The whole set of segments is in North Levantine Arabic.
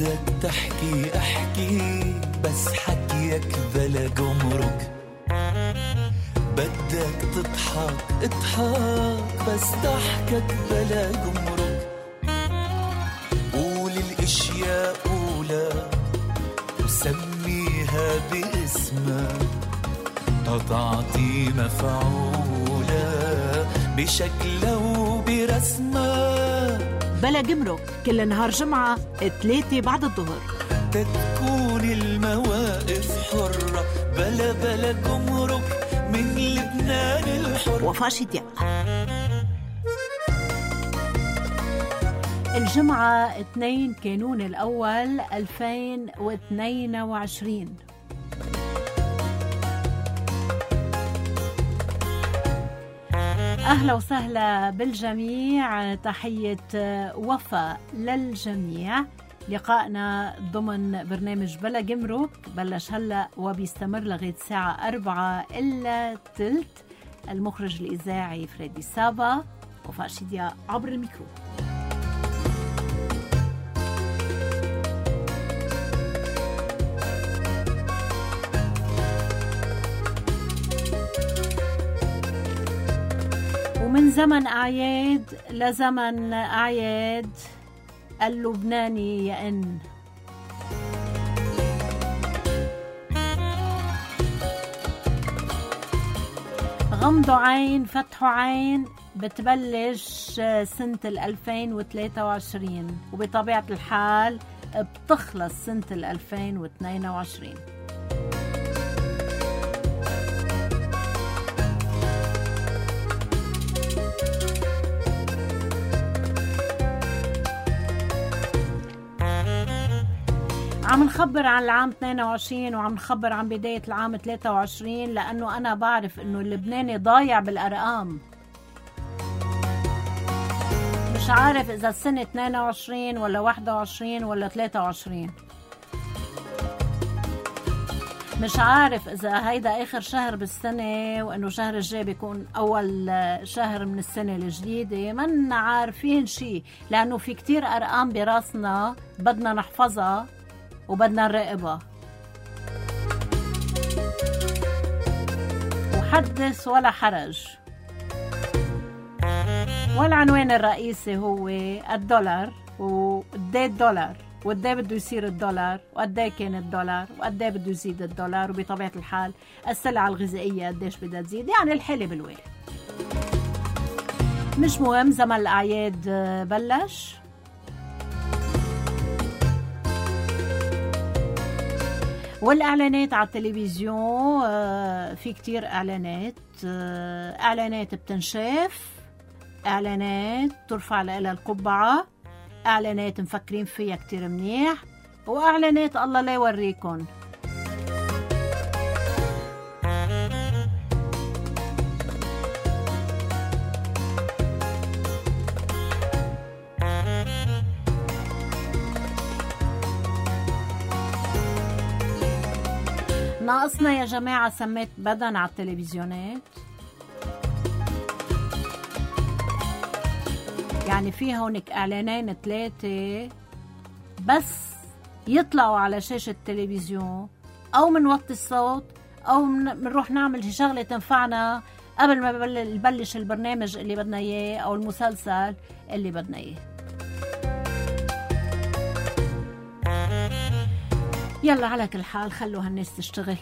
بدك تحكي احكي بس حكيك بلا جمرك، بدك تضحك اضحك بس ضحكك بلا جمرك، قول الاشياء قولا وسميها باسمها تعطي مفعولة بشكلها وبرسمها. بلا جمرك كل نهار جمعة 3 بعد الظهر، تكون المواقف حرة بلا جمرك من لبنان الحر. وفاء شدياء. الجمعة 2 كانون الأول 2022. أهلا وسهلا بالجميع، تحية وفاء للجميع. لقائنا ضمن برنامج بلا جمرك بلش هلأ وبيستمر لغاية الساعة 4:15. المخرج الإذاعي فريدي سابا، وفاء شدياء عبر الميكرو. ومن زمن أعياد لزمن أعياد اللبناني يئن. غمضوا عين فتحوا عين، بتبلش سنة 2023 وبطبيعة الحال بتخلص سنة 2022. عم نخبر عن العام 22 وعم نخبر عن بداية العام 23، لأنه أنا بعرف أنه اللبناني ضايع بالأرقام. مش عارف إذا السنة 22 ولا 21 ولا 23. مش عارف إذا هيدا آخر شهر بالسنة وأنه شهر الجاي بيكون أول شهر من السنة الجديدة. من عارفين شي، لأنه في كتير أرقام براسنا بدنا نحفظها وبدنا نراقبها. وحدث ولا حرج. والعنوان الرئيسي هو الدولار، وقديه الدولار، وقديه بده يصير الدولار، وقديه كان الدولار، وقديه بده يزيد الدولار، وبطبيعة الحال السلع الغذائية قديش بدها تزيد، يعني الحالة بالويل. مش مهم، زمن الأعياد بلش. والإعلانات على التلفزيون، في كتير إعلانات بتنشاف، إعلانات ترفع لها القبعة، إعلانات مفكرين فيها كتير منيح، وإعلانات الله لا يوريكن. ناقصنا يا جماعة سميت بدن على التلفزيونات. يعني في هونك إعلانين 3 بس يطلعوا على شاشة التلفزيون، أو منوطي الصوت، أو منروح نعمل شغلة تنفعنا قبل ما نبلش البرنامج اللي بدنا إياه أو المسلسل اللي بدنا إياه. يلا على كل حال خلوا هالناس تشتغل.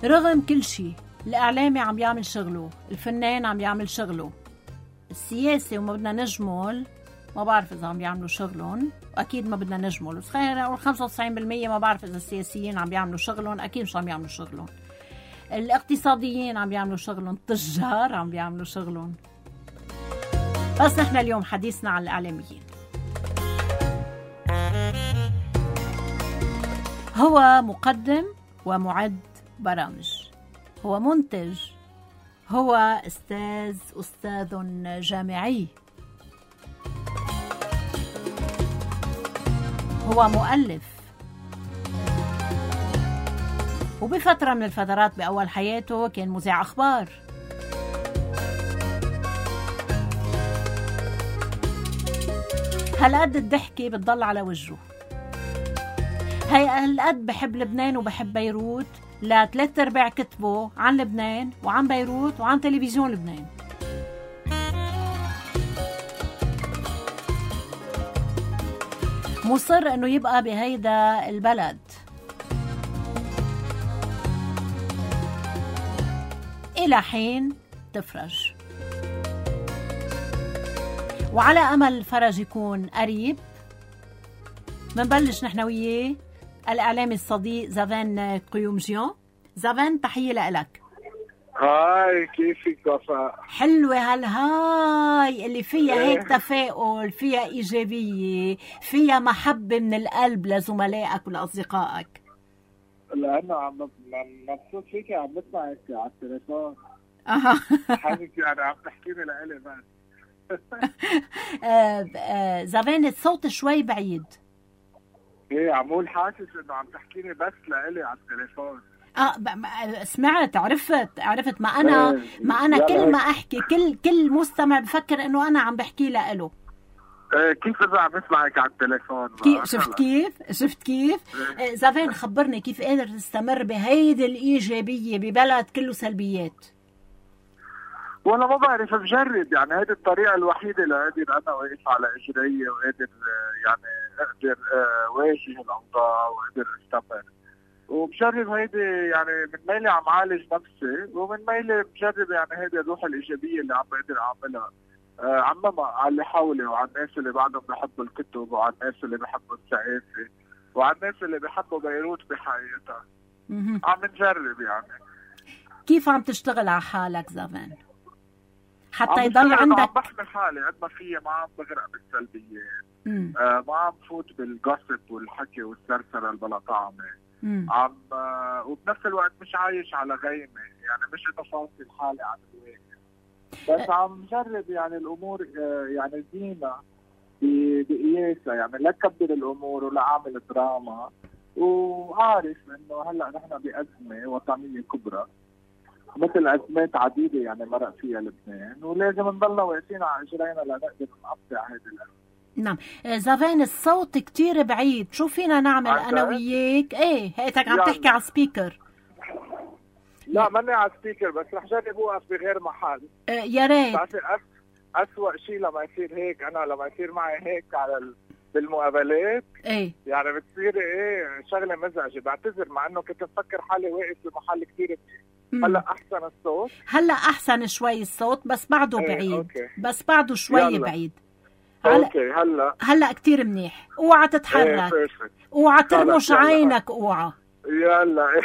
رغم كل شيء، الإعلامي عم يعمل شغله، الفنان عم يعمل شغله، السياسي وما بدنا نجمل، ما بعرف إذا عم يعملوا شغلهم، أكيد ما بدنا نجمل، بس خلينا نقول 95% ما بعرف إذا السياسيين عم يعملوا شغلهم، أكيد مش عم يعملوا شغلهم. الاقتصاديين عم يعملوا شغلهم، التجار عم يعملوا شغلهم. بس نحن اليوم حديثنا عن الإعلاميين. هو مقدم ومعد برامج، هو منتج، هو أستاذ جامعي، هو مؤلف، وبفترة من الفترات بأول حياته كان مذيع أخبار. هالقد الضحكة بتضل على وجهه. هي هالقد بحب لبنان وبحب بيروت، لا 3/4 كتبه عن لبنان وعن بيروت وعن تلفزيون لبنان. مصر انه يبقى بهيدا البلد. الى حين تفرج، وعلى امل الفرج يكون قريب منبلش نحن وياه الاعلامي الصديق زافان قيومجيان. زافان، تحية لك. هاي، كيفك وفاء؟ حلوة هالهاي اللي فيها هيك تفاؤل، فيها إيجابية، فيها محبة من القلب لزملائك ولأصدقائك. لأنه عم مبسوط فيكي، عم بسمعك على التليفون. حاسس يعني عم تحكيني لإلي بس. زافان، الصوت شوي بعيد. ايه، عمول حاسس انه عم تحكيني بس لإلي على التليفون. سمعت، عرفت ما انا كل ما احكي كل مستمع بفكر انه انا عم بحكي له. كيف اذا عم بسمعك على التليفون؟ شفت كيف زافان، خبرني كيف قادر تستمر بهيدي الايجابيه ببلد كله سلبيات؟ والله ما بعرف، بجرب يعني. هيدي الطريقه الوحيده اللي قادر انا واقف على اجري، وقادر يعني اقدر واجه الاوضاع وقادر استمر. وبجرب هيدي يعني، من ميلي عم عالج نفسي، ومن ميلي بجرب يعني هيدي الروح الإيجابية اللي عم بقدر أعملها عممها على اللي حولي، وعلى الناس اللي بعدهم بحبوا الكتب، وعلى الناس اللي بحبوا الثقافة، وعلى الناس اللي بحبوا بيروت بحياتها. عم نجرب يعني. كيف عم تشتغل على حالك زافان حتى يضل عندك؟ عم بحمي حالي قد ما فيي، ما عم بغرق بالسلبيات، ما عم فوت بالجوسب والحكي والسرسرة البلا طعمة. عم وبنفس الوقت مش عايش على غيمة، يعني مش انه فاصل حالي عن الواقع، بس عم جرب يعني الامور يعني ديما بقياسها، يعني لا كبر الامور ولا اعمل دراما. وعارف انه هلا نحن بأزمة وطنية كبرى مثل ازمات عديدة يعني مرق فيها لبنان، ولازم نضلنا واقفين على اجرينا لنقدر نقطع هذه الازمة. نعم. زافان، الصوت كتير بعيد، شو فينا نعمل انا وياك؟ ايه، هيك عم تحكي على سبيكر. لا، ماني على سبيكر، بس رح جرب اوقف بغير محل. يا ريت. أسوأ شيء لما يصير هيك، انا لما يصير معي هيك على بالمقابلات، ايه يعني بتصير شغله مزعجه. بعتذر، مع انه كنت مفكر حالي واقف بمحل كتير منيح. هلا احسن الصوت، هلا احسن شوي الصوت، بس بعده بعيد. أوكي. بس بعده شوي بعيد. اوكي، هلا كتير منيح. اوعى تتحرك، اوعى ترمش عينك، اوعى. يلا.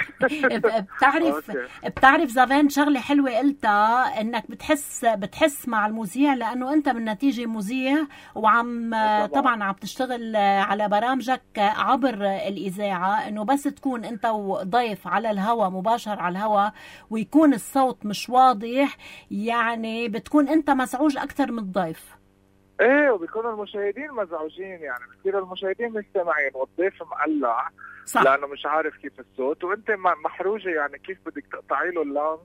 بتعرف زافان، شغله حلوه قلتها، انك بتحس مع المذيع، لانه انت بالنتيجه مذيع، وعم طبعا عم تشتغل على برامجك عبر الاذاعه، انه بس تكون انت وضيف على الهواء مباشر على الهواء ويكون الصوت مش واضح، يعني بتكون انت مزعوج اكثر من الضيف. ايه، وبيكونوا المشاهدين مزعوجين، يعني بصير المشاهدين مستمعين والضيف مقلع. صح. لانه مش عارف كيف الصوت، وانت محروجه، يعني كيف بدك تقطعي له اللام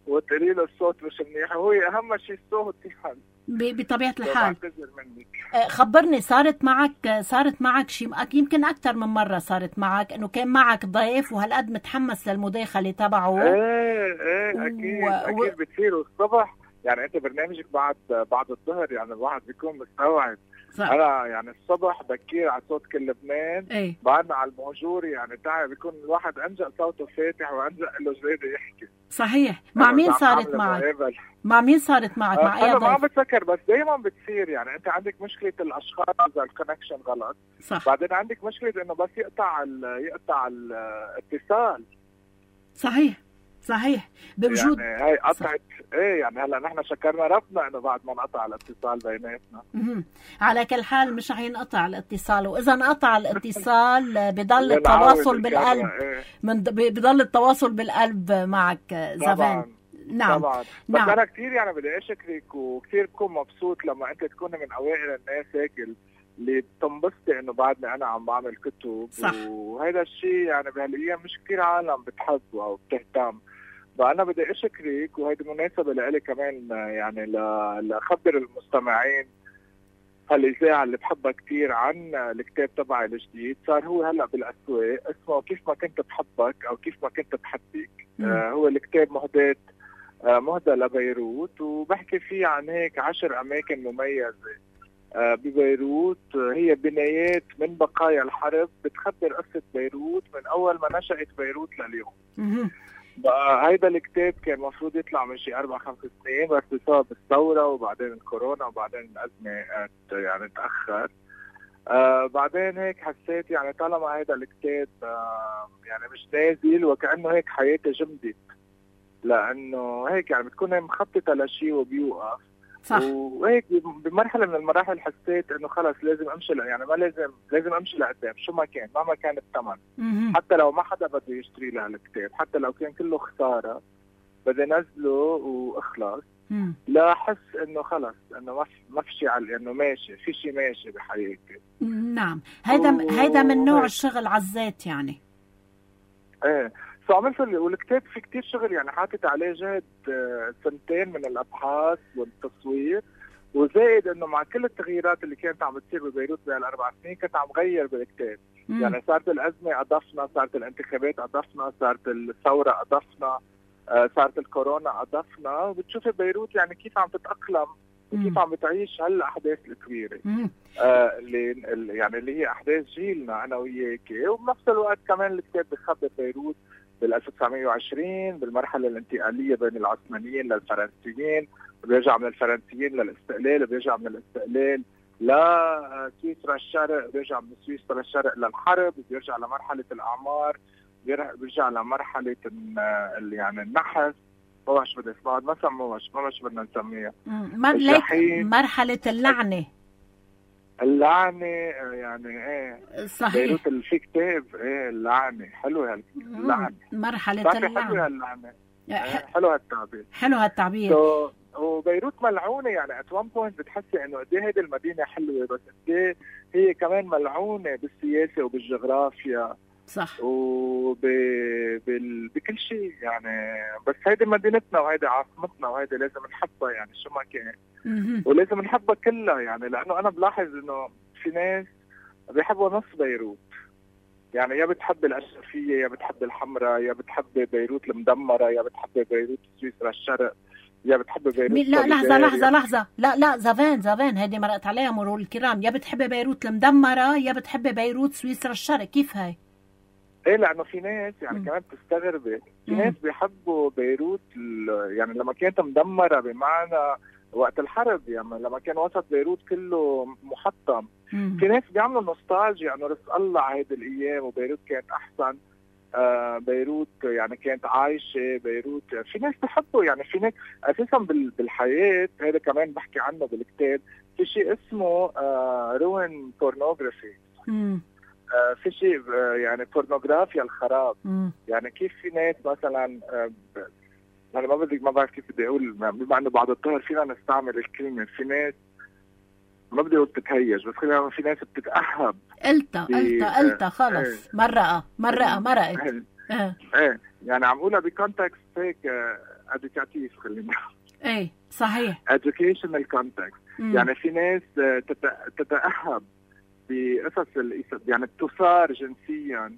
وتقولي له الصوت مش منيح، وهو اهم شيء الصوت يعني بطبيعه الحال. بعتذر منك. خبرني، صارت معك شيء، يمكن اكثر من مره صارت معك، انه كان معك ضيف وهالقد متحمس للمداخله تبعه؟ ايه اكيد بتصير الصبح، يعني انت برنامجك بعد الظهر، يعني الواحد بيكون مستوعب. صح. انا يعني الصبح بكير على صوت كل لبنان، بعدنا على المهجور، يعني تعب بيكون الواحد انجأ صوته فاتح وانجأ له جريده يحكي. صحيح. مع مين صارت معك؟ مع مين صارت معك؟ مع اي ضيف؟ انا ما عم بتذكر، بس دايما بتصير، يعني انت عندك مشكله الاشخاص اذا الكونكشن غلط. صح. بعدين عندك مشكله انه بس يقطع الاتصال. صحيح بوجود، يعني هاي قطعت. ايه، يعني هلا نحن شكرنا ربنا انه بعد ما انقطع الاتصال بيناتنا. على كل حال مش رح ينقطع الاتصال، واذا انقطع الاتصال بضل التواصل بالقلب. بضل التواصل بالقلب معك زافان. نعم طبعا. بس نعم. انا كثير يعني بدي اشكرك، وكثير بكون مبسوط لما انت تكون من اوائل الناس هيك اللي بتنبسطي انه بعدني انا عم بعمل كتب. صح. وهذا الشيء يعني بهالايام مش كثير عالم بتحبه او بتهتم. فانا بدي اشكرك، وهيدي مناسبه لإلي كمان يعني لخبر المستمعين هالاذاعه اللي بحبها كثير عن الكتاب تبعي الجديد. صار هو هلا بالاسواق، اسمه كيف ما كنت بحبك او كيف ما كنت بحبك. هو الكتاب مهدى لبيروت، وبحكي فيه عن هيك 10 اماكن مميزه ببيروت، هي بنايات من بقايا الحرب بتخبر قصه بيروت من اول ما نشأت بيروت لليوم. بقى هيدا الكتاب كان مفروض يطلع من شي 4-5 سنين، بس بسبب الثورة وبعدين الكورونا وبعدين الأزمة يعني تأخر. بعدين هيك حسيت يعني طالما هيدا الكتاب يعني مش نازل، وكأنه هيك حياتي جمدت، لأنه هيك يعني بتكون مخططة لشي وبيوقف. صح. وهيك بمرحلة من المراحل حسيت انه خلص لازم امشي، يعني ما لازم امشي لقدام شو ما كان، مهما كان الثمن. حتى لو ما حدا بده يشتري لها الكتاب، حتى لو كان كله خسارة، بدي نزله واخلص. لا احس انه خلص انه ما في شيء انه ماشي، في شيء ماشي بحياتي. نعم. هيدا من نوع الشغل على الذات يعني. ايه عملت والكتاب في كتير شغل، يعني حاطط عليه جهد 2 من الابحاث والتصوير، وزائد انه مع كل التغييرات اللي كانت عم بتصير ببيروت بهال4 سنين كنت عم غير بالكتاب. يعني صارت الازمه اضفنا، صارت الانتخابات اضفنا، صارت الثوره اضفنا، صارت الكورونا اضفنا، وبتشوفي بيروت يعني كيف عم تتاقلم وكيف عم بتعيش هالاحداث الكبيره اللي يعني اللي هي احداث جيلنا انا وياكي. وبنفس الوقت كمان الكتاب بخبر بيروت بال1920 بالمرحله الانتقاليه بين العثمانيين للفرنسيين، بيرجع من الفرنسيين للاستقلال، بيرجع من الاستقلال لسويسرا الشرق، بيرجع من سويسرا الشرق للحرب، بيرجع لمرحله الاعمار، بيرجع لمرحله يعني النحس. ما بعرف شو بدي اسمها، ما سموهاش، ما شو بدنا نسميها، مرحله اللعنه يعني. ايه صحيح. بيروت في كتاب ايه اللعنه، حلو هاللعنه، مرحله اللعنه، حلو هاللعنه، حلو هالتعبير، حلو هالتعبير. وبيروت ملعونه، يعني ات وان بوينت بتحسي انه قد ايه هيدي المدينه حلوه، بس قد ايه هي كمان ملعونه بالسياسه وبالجغرافيا. صح. بكل شيء يعني. بس هيدي مدينتنا وهيدي عاصمتنا وهيدي لازم نحبها يعني شو ما كان. ولازم نحبها كلها يعني، لانه انا بلاحظ انه في ناس بيحبوا نص بيروت، يعني يا بتحب الاشرفيه، يا بتحب الحمراء، يا بتحب بيروت المدمره، يا بتحب بيروت سويسرا الشرق، يا بتحب بيروت. لا لحظه لا زافان هيدي مرقت عليها مرور الكرام. يا بتحب بيروت المدمره يا بتحب بيروت سويسرا الشرق، كيف هاي؟ ايه لانه في ناس يعني كمان بتستغربي، في ناس بيحبوا بيروت يعني لما كانت مدمره، بمعنى وقت الحرب، يعني لما كان وسط بيروت كله محطم. في ناس بيعملوا نوستالجيا انه رزق الله على هيدي الايام وبيروت كانت احسن. بيروت يعني كانت عايشه بيروت. في ناس بحبوا يعني، في ناس اساسا بالحياه، هذا كمان بحكي عنه بالكتاب، في شيء اسمه روين بورنوغرافي. في شيء يعني بورنوغرافيا الخراب. يعني كيف في ناس مثلا انا ما بعرف كيف بدي اقول، بما انه بعد الظهر فينا نستعمل الكلمه، في ناس ما بدي اقول تتهيج، بس خلينا في ناس بتتأهب. قلت خلص. مرقت. ايه يعني عم اقولها بكونتكست هيك ادوكاتيف، خلينا ايه صحيح، educational context. يعني في ناس تتأهب بقصص يعني تثار جنسيا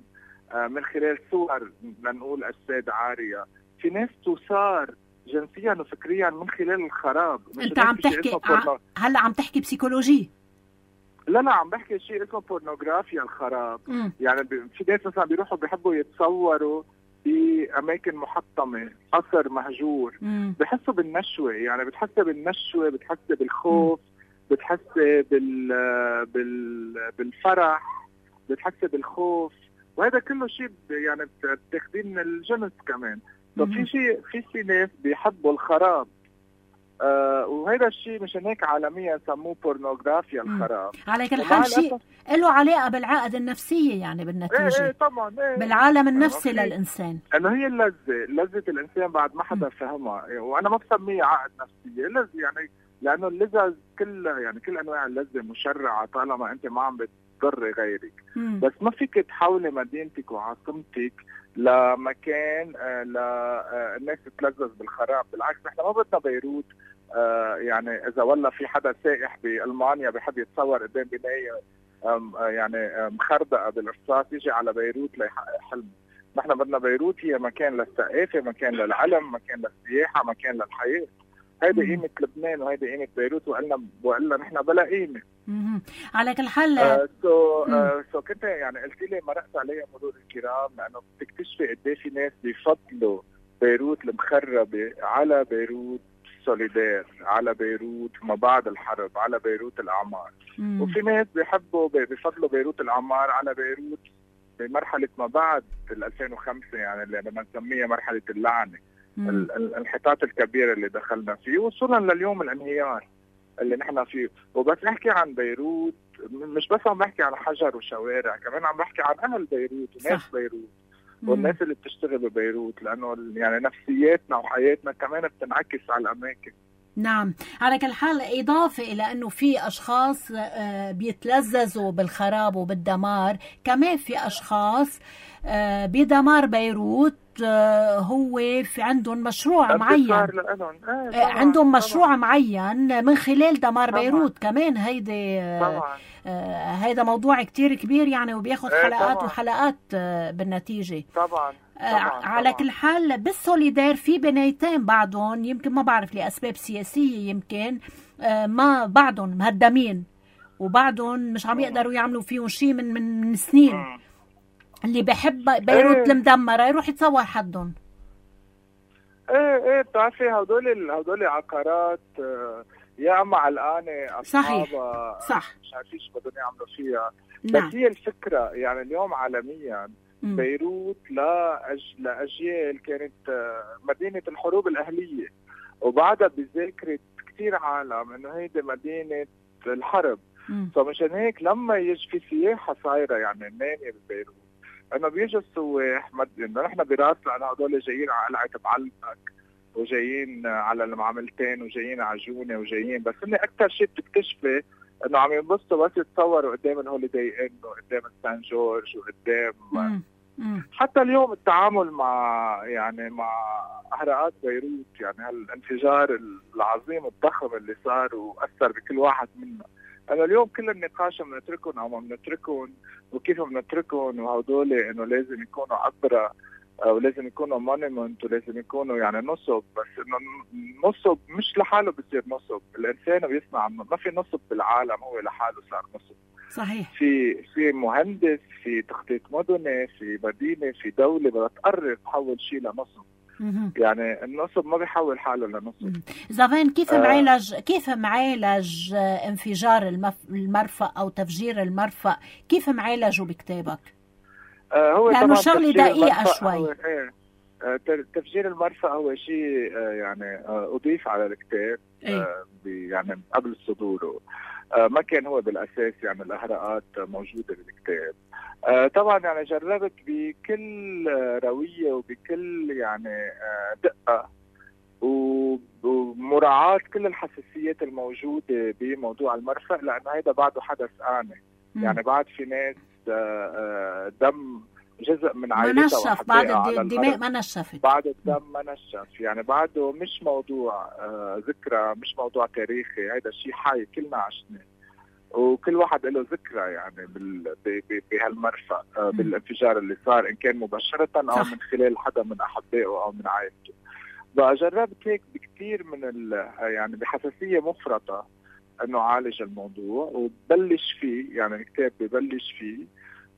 من خلال صور، لنقول أجساد عارية. في ناس تثار جنسيا وفكريا من خلال الخراب. انت عم تحكي هلا عم تحكي بسيكولوجي؟ لا عم بحكي شيء اسمه بورنوغرافيا الخراب. يعني في ناس مثلا بيروحوا بيحبوا يتصوروا بأماكن محطمة، قصر مهجور، بحسوا بالنشوة. يعني بتحسي بالنشوة، بتحسي بالخوف، بتحسي بالفرح، بتحسي بالخوف، وهذا كله شيء يعني بتاخدين من الجنس كمان. طب في ناس بيحبوا الخراب، وهذا الشيء مشان هيك عالميا سموه بورنوغرافيا الخراب. على كل حال شيء له علاقه بالعقد النفسيه يعني بالنتيجه. ايه طبعا. بالعالم النفسي للانسان، انه هي لذة الانسان بعد ما حدا فهمها. وانا ما بسميه عقد نفسيه، يعني لانه اللذة كل انواع اللذة مشرعة طالما انت ما عم بتضر غيرك. بس ما فيك تحولي مدينتك وعاصمتك لمكان الناس تتلذذ بالخراب. بالعكس نحن ما بدنا بيروت يعني اذا والله في حدا سائح بالمانيا بحب يتصور قدام بنايه يعني مخردقه بالرصاص يجي على بيروت ليحقق حلمه. نحن بدنا بيروت هي مكان للثقافه، مكان للعلم، مكان للسياحه، مكان للحياه. هيدي قيمه لبنان وهيدي قيمه بيروت، وقلنا نحن بلا قيمه. على كل حال سو كنت يعني قلت لي مرقت عليها مرور الكرام، لانه بتكتشفي قد ايه في ناس بيفضلوا بيروت المخربه على بيروت سوليدير، على بيروت ما بعد الحرب، على بيروت الاعمار. وفي ناس بيفضلوا بيروت الاعمار على بيروت بمرحله ما بعد 2005، يعني اللي بدنا نسميها مرحله اللعنه، الانحطاط الكبير اللي دخلنا فيه وصولا لليوم الانهيار اللي نحن فيه. وبس نحكي عن بيروت مش بس عم بحكي عن حجر وشوارع، كمان عم بحكي عن اهل بيروت وناس بيروت والناس اللي بتشتغل ببيروت، لانه يعني نفسياتنا وحياتنا كمان بتنعكس على الاماكن. نعم. على كل حال إضافة إلى أنه في أشخاص بيتلذذوا بالخراب وبالدمار، كمان في أشخاص بدمار بيروت هو في عندهم مشروع معين، عندهم مشروع معين من خلال دمار بيروت. كمان هيدا موضوع كتير كبير يعني، وبياخد حلقات وحلقات بالنتيجة. طبعا. على كل حال بالسوليدير في بنايتين بعضهم يمكن ما بعرف لأسباب سياسية، يمكن ما بعضهم مهدمين وبعضهم مش عم يقدروا يعملوا فيهم شيء من سنين. اللي بحب بيروت المدمرة يروح يتصور حدهم. ايه بتعرفي هدول عقارات يا اما علقانه اصحابها صح مش عارفين شو بدهم يعملوا فيها. نعم. بس هي الفكره يعني اليوم عالميا بيروت لاجيال كانت مدينه الحروب الاهليه، وبعدها بذاكره كثير عالم انه هيدي مدينه الحرب. فمشان هيك لما يجي في سياحه صايره يعني ناميه ببيروت، انه بيجوا السواح انه نحن براس لانه هدول جايين على قلعه بعلبك وجايين على المعاملتين وجايين على جونه وجايين، بس اني اكثر شيء بتكتشفي انه عم ينبسطوا بس يتصوروا قدام الهوليداي ان وقدام سان جورج وقدام حتى اليوم التعامل مع اهراءات بيروت، يعني هالانفجار العظيم الضخم اللي صار واثر بكل واحد منا. انا اليوم كل النقاش بنتركهم او ما بنتركهم وكيف بنتركهم، وهدول انه لازم يكونوا عبره ولازم يكونوا مونيمنت ولازم يكونوا يعني نصب. بس انه نصب مش لحاله بصير نصب، الانسان بيصنع، ما في نصب بالعالم هو لحاله صار نصب. صحيح. في مهندس، في تخطيط مدني، في مدينه، في دوله بدها تقرر تحول شيء لنصب. يعني النصب ما بيحول حاله لنصب. زافين كيف معالج انفجار المرفأ او تفجير المرفأ؟ كيف معالجه بكتابك؟ هو لانه شغله دقيقه شوي. تفجير المرفأ هو شيء يعني اضيف على الكتاب يعني قبل صدوره. ما كان هو بالاساس يعني الاهراءات موجوده بالكتاب. طبعا يعني جربت بكل رويه وبكل يعني دقه ومراعاه كل الحساسيات الموجوده بموضوع المرفأ، لانه هذا بعده حدث آني. يعني بعد في ناس دم جزء من عائلتها نشف، بعد الدماء ما نشفت، بعد الدم ما نشف، يعني بعده مش موضوع ذكرى، مش موضوع تاريخي، هذا شيء حي كلنا عشنا وكل واحد له ذكرى يعني بهالمرفأ بالانفجار اللي صار، ان كان مباشرة او من خلال حدا من احبائه او من عائلته. بقى جربت هيك بكثير من يعني بحساسية مفرطة انه عالج الموضوع وبلش فيه، يعني الكتاب ببلش فيه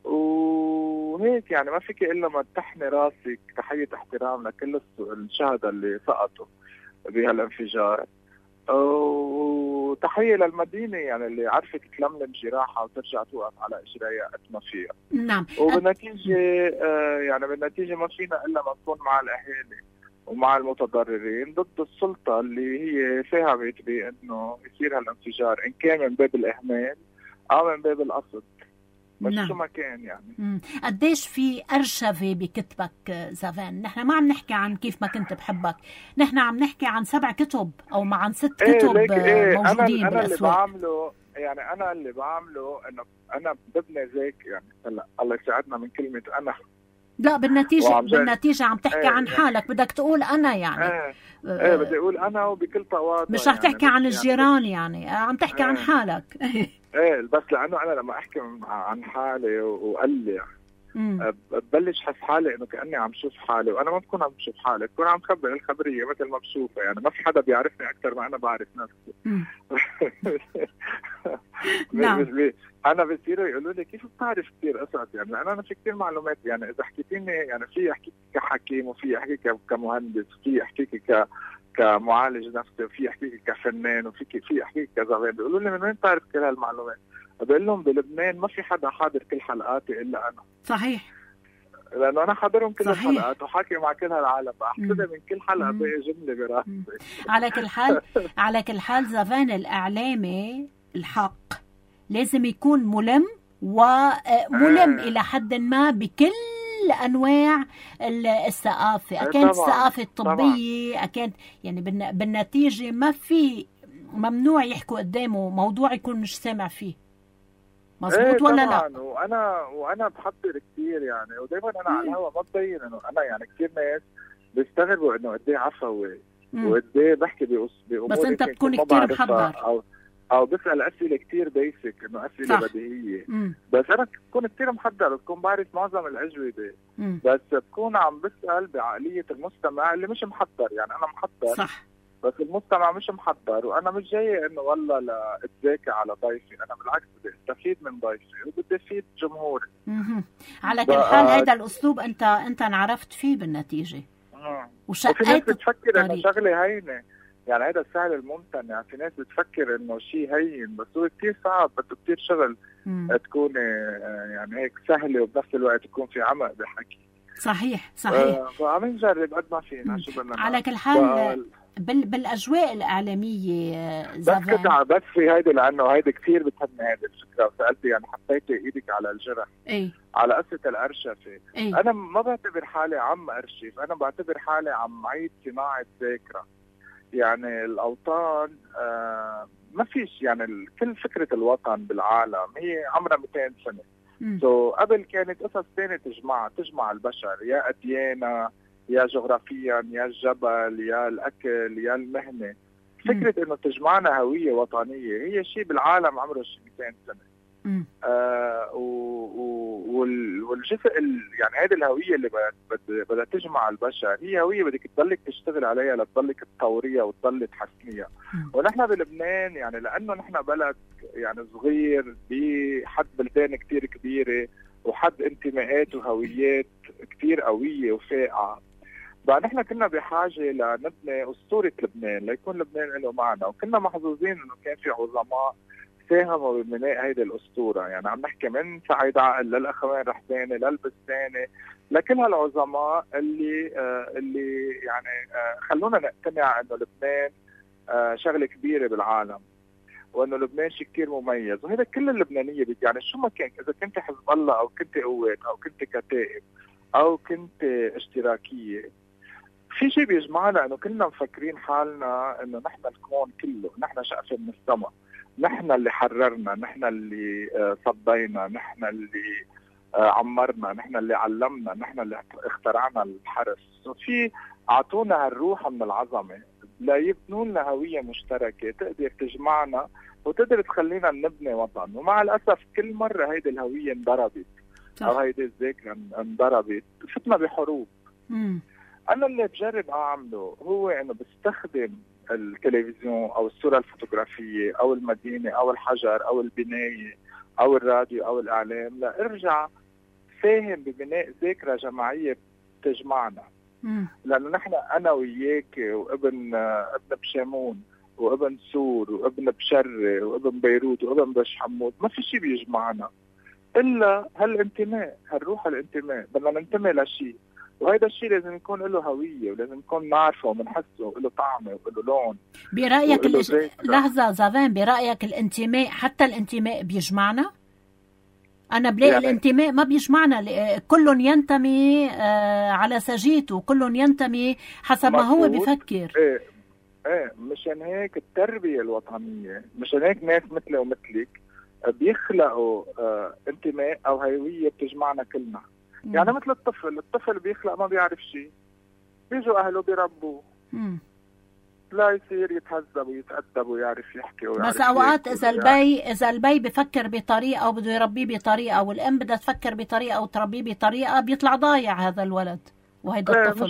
وهيك يعني ما فيك الا ما تحني راسك تحية احترام لكل الشهداء اللي سقطوا بهالانفجار، وتحية للمدينة يعني اللي عرفت تلملم جراحها وترجع توقف على اجريها قد ما فيها. نعم. وبالنتيجة يعني بالنتيجة ما فينا الا ما نكون مع الاهالي ومع المتضررين ضد السلطة اللي هي فهمت بانه يصير هالانفجار ان كان من باب الاهمال او من باب القصد. بس نعم. شو ما كان يعني. قديش في أرشفة بكتبك زافان؟ نحن ما عم نحكي عن كيف ما كنت بحبك، نحن عم نحكي عن 7 كتب أو عن 6 كتب موجودين أنا بالأسواق. أنا اللي بعمله إنه أنا ببني ذاك يعني. هلا الله يساعدنا من كلمة أنا. لا بالنتيجة عم تحكي عن حالك، بدك تقول أنا يعني. بدي أقول أنا وبكل تواضع. مش رح يعني تحكي عن الجيران يعني عم تحكي عن حالك. بس لأنه أنا لما أحكي عن حالي وقلي ببلش حس حالي إنه كأني عم شوف حالي، وأنا ما بكون عم شوف حالي، بكون عم خبر الخبرية مثل ما بشوفها يعني. ما في حدا بيعرفني أكثر ما أنا بعرف نفسي. نعم. أنا بصيروا يقولوا لي كيف بتعرف كثير قصص يعني، لأن أنا في كثير معلومات يعني. إذا حكيتيني يعني في أحكيك كحكيم، وفي أحكيك كمهندس، وفي أحكيك كمعالج نفسي، وفي أحكيك كفنان، وفي أحكيك كزغير. بيقولوا لي من وين تعرف كل هالمعلومات؟ بقول لهم بلبنان ما في حدا حاضر كل حلقاتي إلا أنا. صحيح. لأنه أنا حاضرهم كل الحلقات وحاكي مع كل هالعالم، بحسدها من كل حلقة بقى جملة براسي. على كل حال زافان الإعلامي الحق لازم يكون ملم وملم إلى حد ما بكل أنواع الثقافة. أكانت الثقافة الطبية، أكانت يعني بالنتيجة ما في ممنوع يحكوا قدامه موضوع يكون مش سامع فيه. مظبوط ولا لا؟ وانا بحضر كثير يعني، ودايما انا على الهوا ما ببين انه انا يعني. كثير ناس بيستغربوا انه قد ايه عفوي وقد ايه بحكي بامور، بس انت بتكون كثير محضر او بسال اسئله كثير بيسك، انه اسئله بديهيه. بس انا بكون كثير محضر، بكون بعرف معظم الاجوبه، بس بكون عم بسال بعقليه المستمع اللي مش محضر يعني. انا محضر صح، بس المستمع مش محضر، وانا مش جاي انه والله لاتذاكى على ضيفي. انا بالعكس بدي استفيد من ضيفي وبدي افيد جمهوري. على كل حال هذا الاسلوب انت انعرفت فيه بالنتيجه. وفي ناس بتفكر انه شغله هينه يعني، هذا السهل الممتنع يعني. في ناس بتفكر انه شيء هين، بس هو كثير صعب، بده كثير شغل تكون يعني هيك سهله، وبنفس الوقت تكون في عمق بحكي. صحيح. فعم نجرب قد ما فينا. شو بدنا على كل حال بالاجواء الاعلاميه بس في هيدي، لانه هيدي كثير بتهمني هيدي الفكره، وسالتي يعني حطيتي ايدك على الجرح. على قصه الارشفه. انا ما بعتبر حالي عم ارشف، انا بعتبر حالي عم عيد صناعه ذاكره يعني. الاوطان ما فيش يعني، كل فكره الوطن بالعالم هي عمرها 200 سنه. قبل كانت قصص ثانيه تجمع البشر، يا اديانه، يا جغرافيا، يا الجبل، يا الاكل، يا المهنه. فكره انه تجمعنا هويه وطنيه هي شيء بالعالم عمره شيء 200 سنه. والجزء يعني هذه الهويه اللي بدها تجمع البشر هي هويه بدك تضلك تشتغل عليها لتضلك تطوريها وتضل تحسنيها. ونحن بلبنان يعني لانه نحن بلد يعني صغير بحد بلدان كتير كبيره، وحد انتماءات وهويات كتير قويه وفائعه، بقى نحن كنا بحاجه لنبني اسطوره لبنان ليكون لبنان له معنى. وكنا محظوظين انه كان في عظماء ساهموا ببناء هيدي الاسطوره يعني. عم نحكي من سعيد عقل للاخوان رحباني للبستاني، لكل هالعظماء اللي يعني خلونا نقتنع انه لبنان شغله كبيره بالعالم، وانه لبنان شيء كثير مميز. وهذا كل اللبنانيه يعني شو ما كان، اذا كنت حزب الله او كنت قوات او كنت كتائب او كنت اشتراكيه، في شيء بيجمعنا انه كلنا مفكرين حالنا انه نحن الكون كله، نحن شقفه من السماء، نحن اللي حررنا، نحن اللي صدينا، نحن اللي عمرنا، نحن اللي علمنا، نحن اللي اخترعنا الحرس. وفي اعطونا هالروح من العظمه لا يبنوا لنا هويه مشتركه تقدر تجمعنا وتقدر تخلينا نبني وطن. ومع الاسف كل مره هيدي الهويه انضربت او هيدي الذاكره انضربت، فتنا بحروب. انا اللي بجرب اعمله هو انه بستخدم التلفزيون او الصوره الفوتوغرافيه او المدينه او الحجر او البنايه او الراديو او الاعلام لارجع ساهم ببناء ذاكره جماعيه تجمعنا. لانه نحن انا وياك وابن بشامون وابن سور وابن بشري وابن بيروت وابن بش حمود، ما في شيء بيجمعنا الا هالانتماء، هالروح الانتماء. بدنا ننتمي لشيء، وهذا الشيء لازم يكون له هويه ولازم نكون نعرفه وبنحسه وله طعمه وله لون. برايك لحظه زافان، برايك الانتماء حتى الانتماء بيجمعنا؟ أنا بلاقي يعني الانتماء ما بيجمعنا، كل ينتمي على سجيته، كل ينتمي حسب ما هو بيفكر. ايه مشان هيك التربية الوطنية، مشان هيك ناس مثلي ومثلك بيخلقوا انتماء او هوية بتجمعنا كلنا. يعني مثل الطفل بيخلق ما بيعرف شيء، بيجوا اهله بيربوه لا يصير يتهذب ويتأدب ويعرف يحكي ويعرف. بس اوقات اذا البي بفكر بطريقه وبده يربيه بطريقه، والام بدها تفكر بطريقه وتربيه بطريقه، بيطلع ضايع هذا الولد وهيدا الطفل.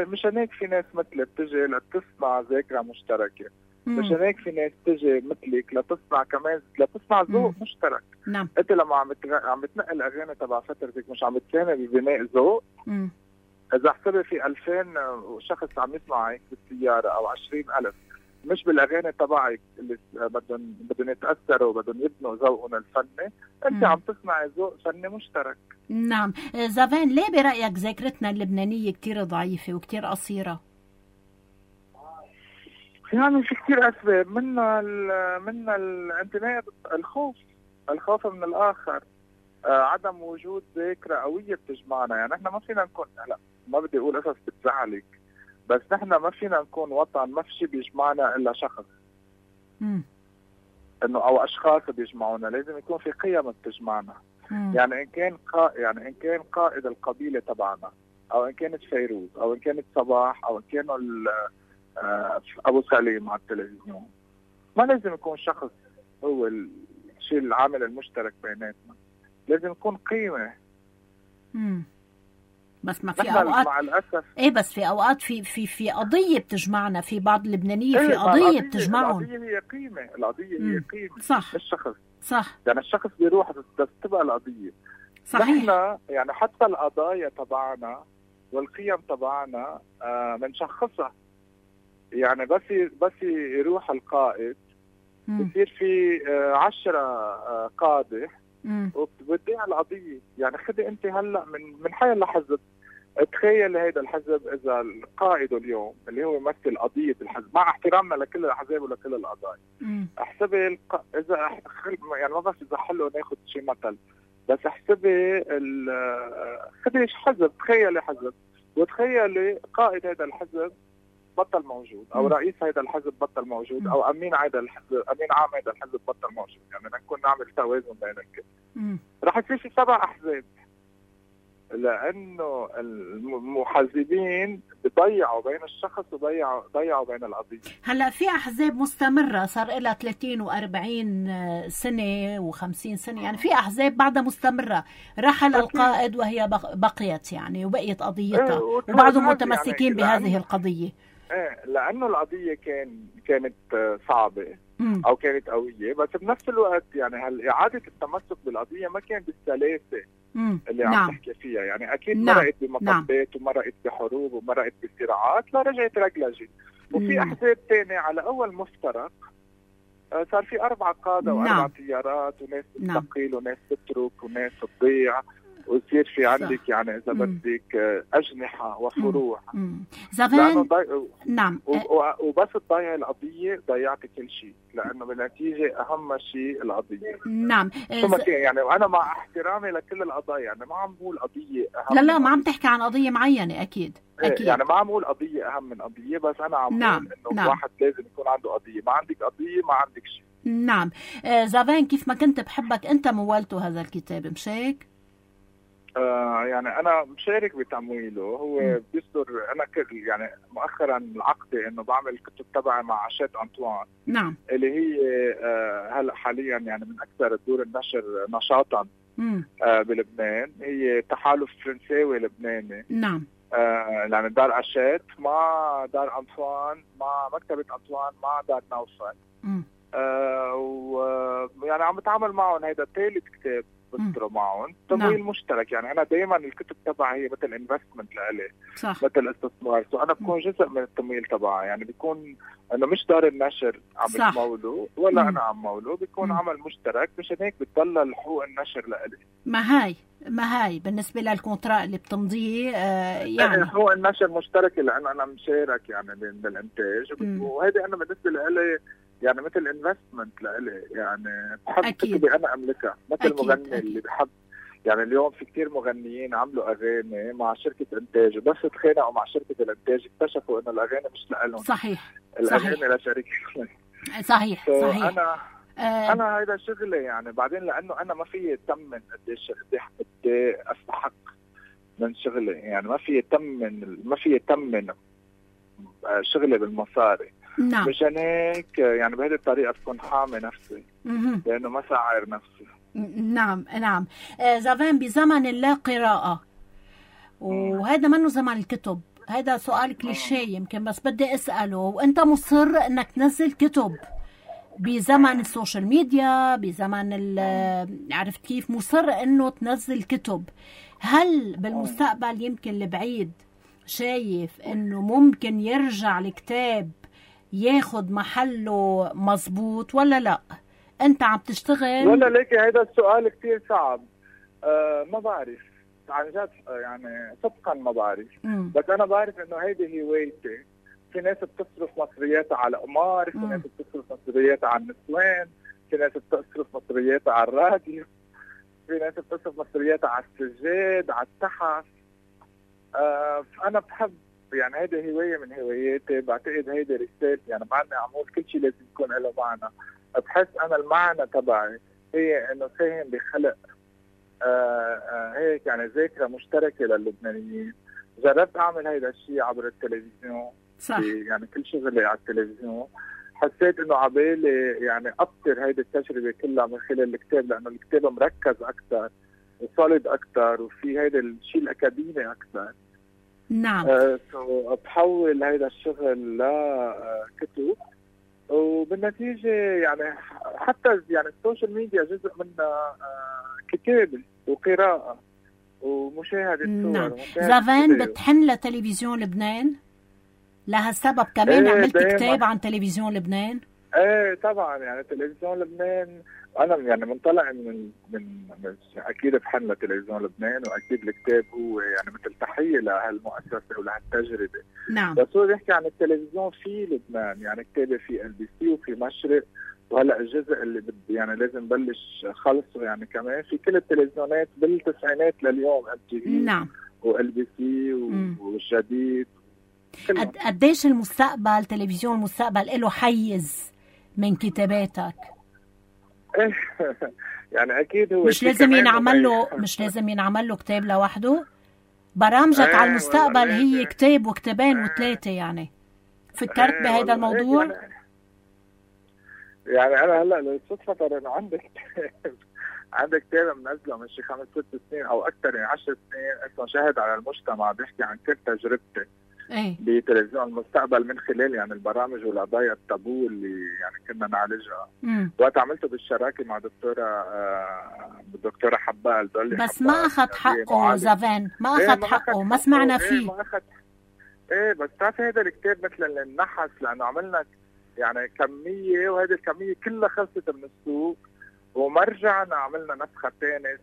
مشان هيك في ناس مثلك بتجي لتصنع ذاكره مشتركه. مشان هيك في ناس تجي مثلك لتصنع ذوق مشترك. نعم. انت لما عم بتنقل اغاني تبع فترتك مش عم بتساهم ببناء ذوق. اذا حسبي في 2000 شخص عم يسمعك بالسياره او 20,000 مش بالاغاني تبعك اللي بدهم يتاثروا وبدهم يبنوا ذوقهم الفني، انت عم تصنعي ذوق فني مشترك. نعم. زافان، ليه برايك ذاكرتنا اللبنانيه كتير ضعيفه وكتير قصيره؟ يعني في كتير اسباب، منها الانتماء، الخوف من الاخر، عدم وجود ذاكره قويه بتجمعنا. يعني احنا ما فينا نكون، لا ما بدي اقول قصص بتزعلك، بس نحن ما فينا نكون وطن ما في شيء بيجمعنا الا شخص. انه او اشخاص بيجمعونا، لازم يكون في قيم بتجمعنا. يعني ان كان قائد القبيله تبعنا، او ان كانت فيروز، او ان كانت صباح، او ان كانوا ابو سليم على التلفزيون، ما لازم يكون شخص هو الشيء العامل المشترك بيناتنا، لازم يكون قيمه. بس ما في اوقات مع الاسف بس في اوقات في قضيه بتجمعنا، في بعض اللبنانيه في قضيه بتجمعهم. القضيه هي قيمه صح. مش شخص. صح. يعني الشخص بيروح بس تبقى القضيه. صحيح. نحن يعني حتى القضايا تبعنا والقيم تبعنا بنشخصها. يعني بس يروح القائد بصير في 10 قاده وبتضيع القضيه. يعني خدي انت هلا من حي الحزب، تخيل هيدا الحزب اذا القائد اليوم اللي هو يمثل قضيه الحزب، مع احترامنا لكل الاحزاب ولكل القضايا، احسبي اذا يعني ما بس اذا حلو ناخذ شيء مثل، بس احسبي خدي حزب، تخيلي حزب وتخيلي قائد هذا الحزب بطل موجود، او رئيس هذا الحزب بطل موجود، او امين هذا الحزب، امين عام هذا الحزب بطل موجود. يعني نكون نعمل توازن بين الكل. رح يصير في 7 احزاب، لانه المحزبين بضيعوا بين الشخص وضيعوا بين القضيه. هلا في احزاب مستمره صار لها 30 و40 سنه و50 سنه، يعني في احزاب بعدها مستمره. رحل القائد وهي بقيت يعني وبقيت قضيتها، وبعضهم متمسكين يعني بهذه القضيه. لانه القضيه كانت صعبه او كانت قويه، بس بنفس الوقت يعني اعاده التمسك بالقضيه ما كان بالسلاسه اللي عم تحكي فيها. يعني اكيد مرقت بمطبات ومرقت بحروب ومرقت بصراعات، لا رجعت رجلجت. وفي احزاب ثانيه على اول مفترق صار في 4 قاده و4 تيارات، وناس تستقيل وناس تترك وناس تضيع، ويصير في عندك يعني اذا بدك اجنحه وفروع. زمان نعم. وبس تضيع القضيه ضيعت كل شيء، لانه بالنتيجه اهم شيء القضيه. نعم. يعني انا مع احترامي لكل القضايا، يعني ما عم بقول قضيه اهم. لا ما عم تحكي عن قضيه معينه. اكيد يعني ما عم بقول قضيه اهم من قضيه، بس انا عم بقول انه واحد لازم يكون عنده قضيه. ما عندك قضيه ما عندك شيء. نعم. زافان، كيف ما كنت بحبك انت مولته هذا الكتاب، مش هيك؟ يعني انا مشارك بتمويله. هو بيصدر، انا يعني مؤخرا العقدة انه بعمل كتب تبعي مع عشات أنطوان. نعم. اللي هي هلا حاليا يعني من اكثر الدور النشر نشاطا بلبنان. هي تحالف فرنساوي لبناني. نعم. يعني دار عشات مع دار أنطوان مع مكتبة أنطوان مع دار نوفل. ويعني عم بتعامل معهم. هيدا ثالث كتاب بصدره معهم، تمويل مشترك. يعني انا دائما الكتب تبعي هي مثل انفستمنت لإلي، مثل استثمار. انا بكون جزء من التمويل تبعي. يعني بيكون انه مش دار النشر عم بتموله ولا انا عم مولو، بيكون عمل مشترك. مشان هيك بتضل حقوق النشر لإلي. ما هي بالنسبه للكونترا اللي بتمضيه يعني حقوق النشر مشتركه، لانه انا مشارك يعني بالانتاج. وهذه انا بالنسبه لإلي يعني مثل انفستمنت لإلي، يعني بحب أكيد. كتبي انا املكها، مثل أكيد. المغني أكيد. اللي بحب. يعني اليوم في كتير مغنيين عملوا اغاني مع شركه انتاج، وبس اتخانقوا مع شركه الانتاج اكتشفوا انه الاغاني مش لهم. صحيح. الاغاني لشركه. صحيح. صحيح. انا هيدا شغلي يعني. بعدين لانه انا ما في يتمن قديش بدي استحق من شغلي، يعني ما في يتمن شغلي بالمصاري. نعم. مشان هيك يعني بهذه الطريقه بكون حامي نفسي لانه ما ساعر نفسي. نعم. نعم. زافان، بزمن اللا قراءة، وهذا منه زمن الكتب، هذا سؤال كليشيه يمكن بس بدي اساله، وانت مصر انك تنزل كتب بزمن السوشيال ميديا، بزمن عرفت كيف، مصر انه تنزل كتب. هل بالمستقبل يمكن البعيد شايف انه ممكن يرجع الكتاب ياخد محله مزبوط ولا لا؟ انت عم تشتغل ولا ليك؟ هذا السؤال كتير صعب. ما بعرف عن جد، يعني صدقا ما بعرف. بس انا بعرف انه هيدي هوايتي. في ناس بتصرف مصرياتها على قمار، في ناس بتصرف مصرياتها على النسوان، في ناس بتصرف مصرياتها على الراديو، في ناس بتصرف مصرياتها على السجاد، على التحف. فانا بحب، يعني هيدي هوايه من هواياتي. بعتقد هيدي رسالتي، يعني مع اني عمول كل شيء لازم يكون له معنى. بحس انا المعنى تبعي هي انه ساهم بخلق هيك يعني ذاكره مشتركه للبنانيين. جربت اعمل هيدا الشيء عبر التلفزيون. صح. يعني كل شغلي على التلفزيون. حسيت انه عبالي يعني ابصر هيدي التجربه كلها من خلال الكتاب، لانه الكتاب مركز اكثر وصلد اكثر وفي هيدا الشيء الاكاديمي اكثر. نعم. بحول هيدا الشغل لكتب، وبالنتيجه يعني حتى يعني السوشيال ميديا جزء منها كتابه وقراءه ومشاهده صور. نعم. زافان، بتحن لتلفزيون لبنان؟ لهالسبب كمان عملت كتاب عن تلفزيون لبنان؟ ايه طبعا، يعني تلفزيون لبنان انا يعني منطلع من اكيد بحن لتلفزيون لبنان، واكيد الكتاب هو يعني مثل تحيه لهالمؤسسه ولهالتجربه. نعم. بس هو بيحكي عن التلفزيون في لبنان، يعني كتابه في LBC وفي مشرق، وهلا الجزء اللي بدي يعني لازم بلش خلصه يعني كمان في كل التلفزيونات بالتسعينات لليوم، MTV نعم وLBC والجديد. قديش المستقبل، تلفزيون المستقبل له حيز من كتاباتك؟ يعني اكيد هو مش لازم ينعمل له كتاب لوحده. برامجك على المستقبل هي كتاب وكتابين وثلاثه، يعني فكرت بهذا الموضوع؟ يعني انا هلا بالصدفه انه عندك كتاب منزله من شي 5-6 سنين او اكثر، يعني 10 سنين، اسمه شاهد على المجتمع، بيحكي عن كل تجربتي بتلفزيون المستقبل من خلال يعني البرامج والقضايا التابو اللي يعني كنا نعالجها. وقت عملته بالشراكه مع الدكتوره حبال دولي، بس ما اخذ حقه زافان، ما اخذ حقه، ما سمعنا فيه. ما اخذ. بس بتعرفي هذا الكتاب مثل النحس، لانه عملنا يعني كميه، وهذه الكميه كلها خلصت من السوق، وما رجعنا عملنا نسخه ثانيه.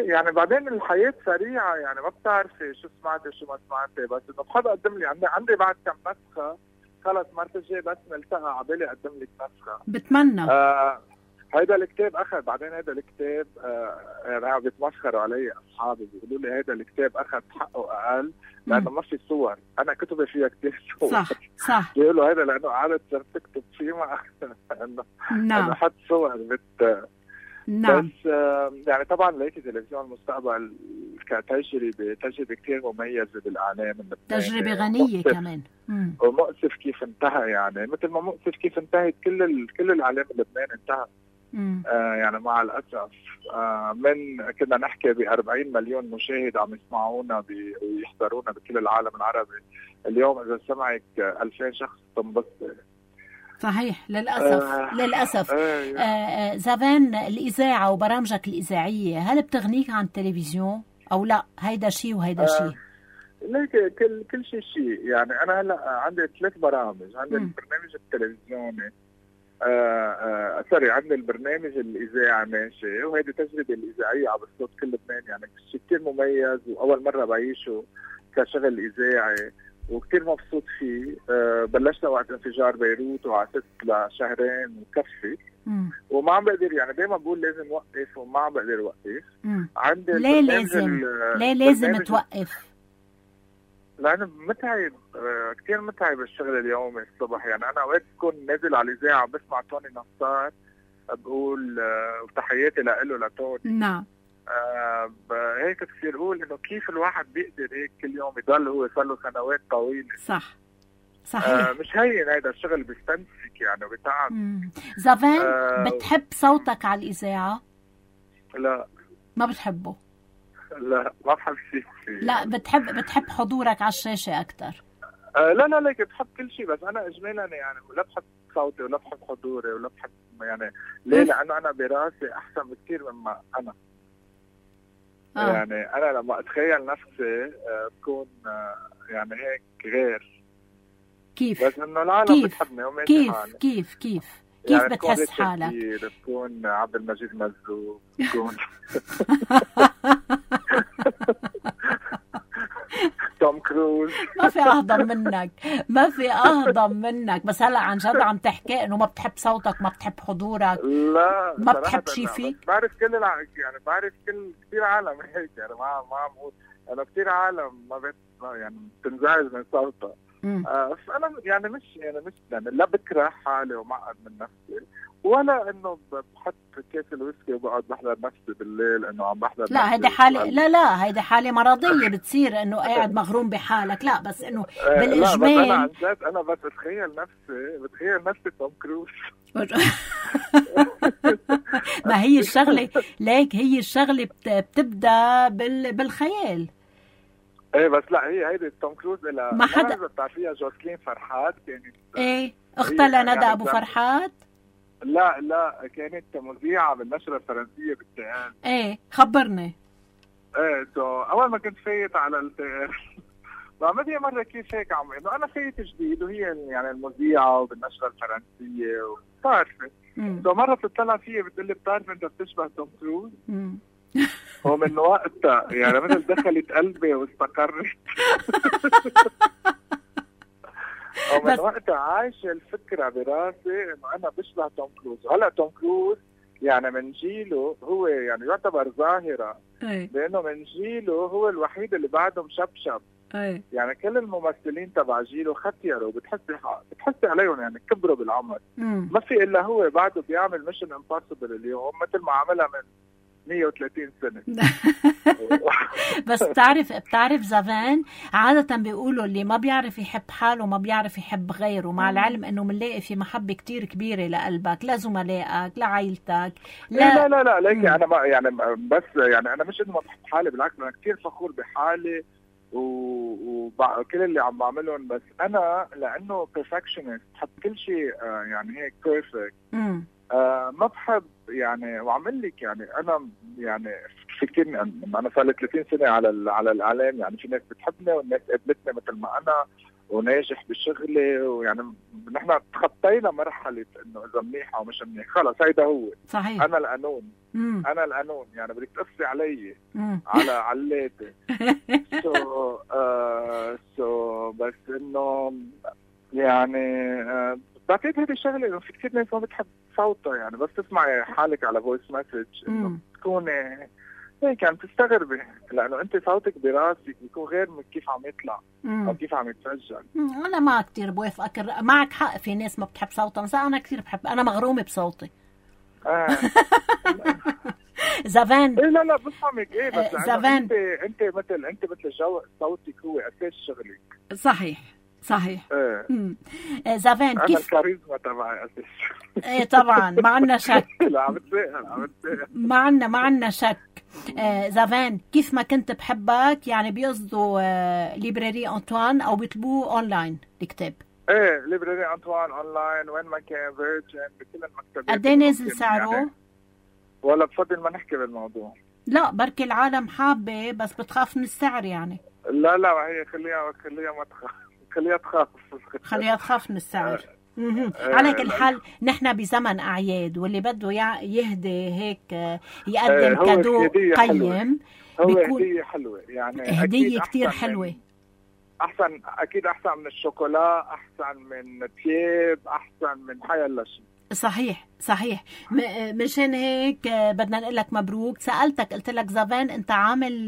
يعني بعدين الحياة سريعة، يعني ما بتعرفي شو سمعتي شو ما سمعتي، بس انه بحب اقدم لي عندي بعد كم نسخة، خلص مرة الجاي بس نلتقى عبالي اقدم لك نسخة. بتمنى. هيدا الكتاب اخذ، بعدين هيدا الكتاب يعني بيتمسخروا علي اصحابي، بيقولوا لي هيدا الكتاب اخذ حقه اقل لانه ما في صور. انا كتبي فيها كتير صور. صح. بيقولوا هيدا لانه قعدت صرت تكتب فيه ما انه حط صور نعم. بس يعني طبعا لقيت تلفزيون المستقبل كتجربة كثير مميزة بالإعلام اللبناني، تجربة غنية كمان. ومؤسف كيف انتهى، يعني مثل ما مؤسف كيف انتهت كل الإعلام اللبناني انتهى. يعني مع الأسف من كنا نحكي ب40 مليون مشاهد عم يسمعونا ويحضرونا بكل العالم العربي، اليوم إذا سمعك 2000 شخص تنبسط. صحيح، للأسف. زافان، الإذاعة وبرامجك الإذاعية هل بتغنيك عن التلفزيون أو لا؟ هيدا شيء وهيدا شيء. ليك كل شيء. يعني أنا هلا عندي 3 برامج. عندي البرنامج التلفزيوني، عندي البرنامج الإذاعي ماشي، وهيدي تجربة الإذاعية عبر صوت كل لبنان، يعني شيء كثير مميز وأول مرة بعيشه كشغل إذاعي. وكتير مبسوط فيه. بلشنا وقت انفجار بيروت وعسست لشهرين وكفي وما عم بقدر، يعني دايما بقول لازم وقف وما عم بقدر وقف. عندي ليه لازم توقف؟ لأنه متعب، كتير متعب الشغل اليومي الصبح. يعني أنا أوقات بكون نازل على الإذاعة بسمع توني نصار بقول وتحياتي لإله لتوني. نعم. هيك بصير أقول إنه كيف الواحد بيقدر هيك كل يوم يضل هو صار له سنوات طويلة. صح صحيح. مش هين هيدا الشغل، بيستنسك يعني وبيتعب. زافان بتحب صوتك على الإذاعة؟ لا ما بتحبه؟ لا ما بحب شيء. لا بتحب حضورك على الشاشة أكتر؟ لا ليك بحب كل شيء، بس أنا إجمالا يعني لا بحب صوتي ولا بحب حضوري ولا بحب يعني ليه؟ لأنه أنا براسي أحسن بكثير مما أنا. يعني أنا لما أتخيل نفسي بكون يعني هيك غير. كيف؟ بس إنه العالم بتحبني وماشي حالي. كيف يعني بتحس حالك؟ بكون عبد المجيد مزروق، بكون توم كروز. ما في أهضم منك. بس هلا عن جد عم تحكي إنه ما بتحب صوتك، ما بتحب حضورك، لا ما بتحب شيء فيك. بعرف يعني بعرف كثير عالم هيك، يعني ما عم بقول أنا كثير عالم يعني بتنزعج من صوتها. فأنا يعني مش يعني لا بكره حالي ومعقد من نفسي، ولا إنه بحط كاس الويسكي وبقعد بحضر نفسي بالليل إنه عم بحضر. لا هيدا حالة، لا هيدا حالة مرضية بتصير إنه قاعد مغروم بحالك. لا بس إنه بالإجمال لا، بس أنا عن جد أنا بس بتخيل نفسي توم كروز. ما هي الشغلة ليك، هي الشغلة بتبدأ بالخيال. ايه بس لا هيدي توم كروز إلى ما حدا بتعرفيها جوسلين فرحات كانت. ايه اختها لندى ابو فرحات. لا كانت مذيعة بالنشرة الفرنسية بالتقال. ايه خبرني. ايه اول ما كنت فايت على التقال بعمل مرة كيف هيك انه انا فايت جديد وهي يعني المذيعة وبالنشرة الفرنسية وبتعرفي. مرة بتطلع فيها بتقلي بتعرف انت بتشبه توم كروز. ومن وقتها يعني مثل دخلت قلبي واستقرت. ومن وقتها عايشة الفكرة براسي انه انا بشبه توم كروز. هلا توم كروز يعني من جيله هو يعني يعتبر ظاهرة، لانه من جيله هو الوحيد اللي بعده مشبشب. يعني كل الممثلين تبع جيله ختيروا، بتحسي عليهم يعني كبروا بالعمر. ما في الا هو بعده بيعمل ميشن امبوسيبل اليوم مثل ما عملها من 130 سنة. بس بتعرف زافان عادة بيقولوا اللي ما بيعرف يحب حاله ما بيعرف يحب غيره، مع العلم انه منلاقي في محبة كتير كبيرة لقلبك، لزملائك، لعائلتك. لا ليك انا ما يعني بس يعني انا مش انه ما بحب حالي، بالعكس انا كتير فخور بحالي وكل اللي عم بعملهم. بس انا لانه perfectionist بحب كل شيء يعني هيك بيرفكت. ما بحب يعني وعمل لك يعني انا يعني فكرني انا صار لي 30 سنه على الاعلام. يعني في ناس بتحبني والناس قبلتني مثل ما انا وناجح بشغلي، ويعني نحن تخطينا مرحله انه اذا منيح او مش منيح خلص هيدا هو صحيح. انا القانون. انا القانون يعني بدك تقصي علي على علاتي. بس انه يعني بعتقد هذه الشغله انه في كثير ناس ما بتحب صوتها. يعني بس تسمعي حالك على فويس مسج انه تكوني هيك يعني تستغربي، لانه انت صوتك براسك بيكون غير من كيف عم يطلع او كيف عم يتسجل. انا ما كثير بوافقك، معك حق، في ناس ما بتحب صوتها، بس انا كثير بحب، انا مغرومه بصوتي. زافان لا بفهمك. ايه بس زافان انت مثل جو صوتك هو اساس شغلك. صحيح زافان كيف الكاريزما تبعي اساس. ايه طبعا ما عندنا شك. لا عم بتسأل ما عندنا شك. زافان كيف ما كنت بحبك يعني بيقصدوا ليبراري أنطوان او بيطلبوه اونلاين الكتاب. ايه ليبراري أنطوان اونلاين وين ما كان فيرجن بكل المكتبات. قد ايه نازل سعره؟ يعني ولا بفضل ما نحكي بالموضوع. لا بركي العالم حابه بس بتخاف من السعر يعني. لا هي خليها ما تخاف، خليها تخاف من السعر. على كل حال نحن بزمن أعياد واللي بده يهدي هيك يقدم كادو قيم. هو هدية حلوة يعني هدية كتير حلوة. احسن اكيد، احسن من الشوكولا، احسن من تياب، احسن من حيلا شيء. صحيح. مشان هيك بدنا نقول لك مبروك. سألتك قلت لك زافان انت عامل،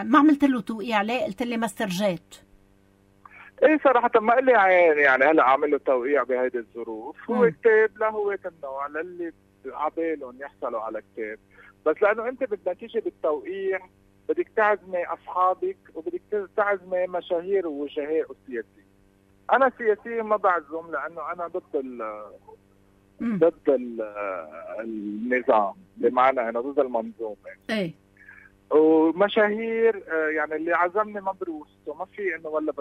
ما عملت له توقيع عليه؟ قلت لي ماستر جيت. ايه صراحة ما قال لي عين، يعني هلا عامل له توقيع بهيدي الظروف. هو كتاب لهوة النوع للي عبالهم يحصلوا على كتاب، بس لانه انت بدك تيجي بالتوقيع بدك تعزمي اصحابك وبدك تعزمي مشاهير ووجهاء وسياسيين. انا سياسيين ما بعزم لانه انا ضد النظام، بمعنى انه ضد المنظومه. ايه ومشاهير يعني اللي عزمني مبروس، وما في انه ولا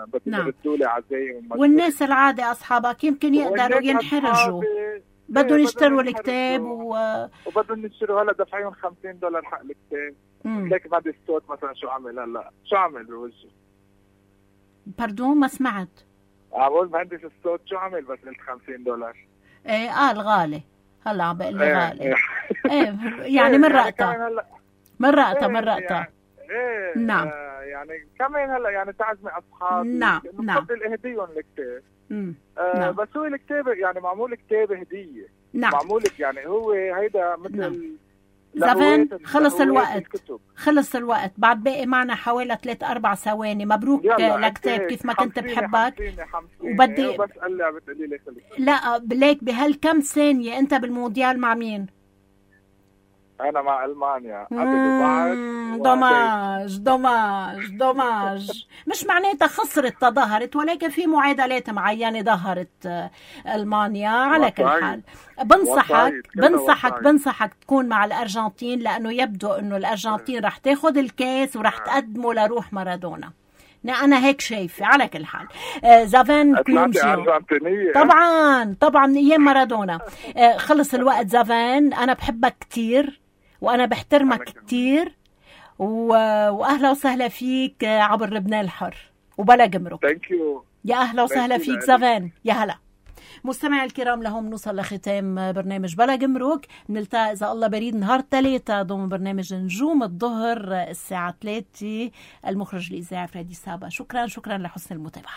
بدهم يردوا لي عزايم. والناس العادي اصحابك يمكن يقدروا ينحرجوا، بدهم يشتروا الكتاب وبدهم يشتروا. هلا دافعين $50 حق الكتاب. ليك مهندس الصوت مثلا شو عمل هلا؟ شو عمل بوجهه؟ باردون ما سمعت. اقول مهندس الصوت شو عمل بس قلت $50؟ ايه قال غالي. هلا عم بقول لي غالي. ايه يعني من رأتها ايه نعم. يعني كمان هلا يعني تعزمي اصحابي. نعم بفضل اهديهم الكتاب. نعم. بس هو الكتاب يعني معمول كتاب هديه. نعم. معمول يعني هو هيدا مثل زافان. خلص الوقت بعد باقي معنا حوالي 3-4 ثواني. مبروك لكتاب كيف ما كنت بحبك. وبدي بس قال لي بتقولي لي لا بليك بهالكم ثانية انت بالمونديال مع مين؟ انا مع المانيا. دوماج. مش معناتها خسرت تظاهرت، ولكن في معادلات معينة ظهرت المانيا. على كل حال بنصحك تكون مع الارجنتين، لانه يبدو انه الارجنتين رح تاخد الكاس ورح تقدمه لروح مارادونا. انا هيك شايفه. على كل حال زافان كلونجيو طبعا ايام مارادونا. خلص الوقت زافان، انا بحبك كتير وانا بحترمك كتير، واهلا وسهلا فيك عبر لبنان الحر وبلا جمرك. يا اهلا وسهلا فيك زافان. يا هلا مستمعي الكرام، لهم نوصل لختام برنامج بلا جمرك. نلتقي إذا الله بريد نهار 3 ضمن برنامج نجوم الظهر الساعة 3. المخرج الإذاعي فريدي سابا. شكرا لحسن المتابعة.